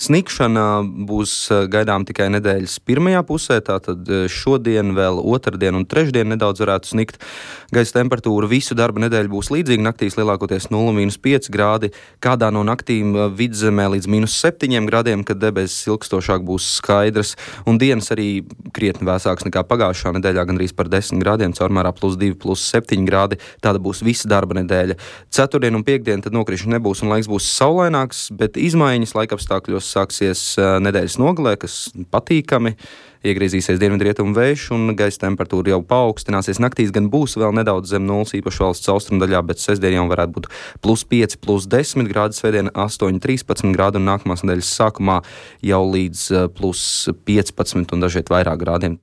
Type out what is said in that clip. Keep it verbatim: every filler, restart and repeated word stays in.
Snikšana būs gaidām tikai nedēļas pirmajā pusē, tātad šodien, vēl otrdien un trešdien nedaudz varētu snikt. Gaisa temperatūra visu darba nedēļu būs līdzīga, naktīs lielākoties nulle mīnus pieci grādi, kādā no naktīm vidzemē līdz mīnus septiņiem grādiem, kad debesis ilgstošāk būs skaidras, un dienas arī krietni vēsāks nekā pagājušā nedēļā, gandrīz par desmit grādiem, caurmērā plus divi, plus septiņi grādi, tāda būs visa darba nedēļa. Ceturtdien un piekdien tad nokrišņi nebūs un laiks būs saulaināks, bet izmaiņas laikapstākļos sāksies nedēļas nogalē, kas patīkami. Iegriezīsies dienvidrietumu vējš un gaisa temperatūra jau paaugstināsies. Naktīs gan būs vēl nedaudz zem nulles, īpaši valsts austrumdaļā, bet sestdien jau varētu būt plus pieci, plus desmit grādi, svētdien astoņi, trīspadsmit grādi un nākamās nedēļas sākumā jau līdz plus piecpadsmit un dažviet vairāk grādiem.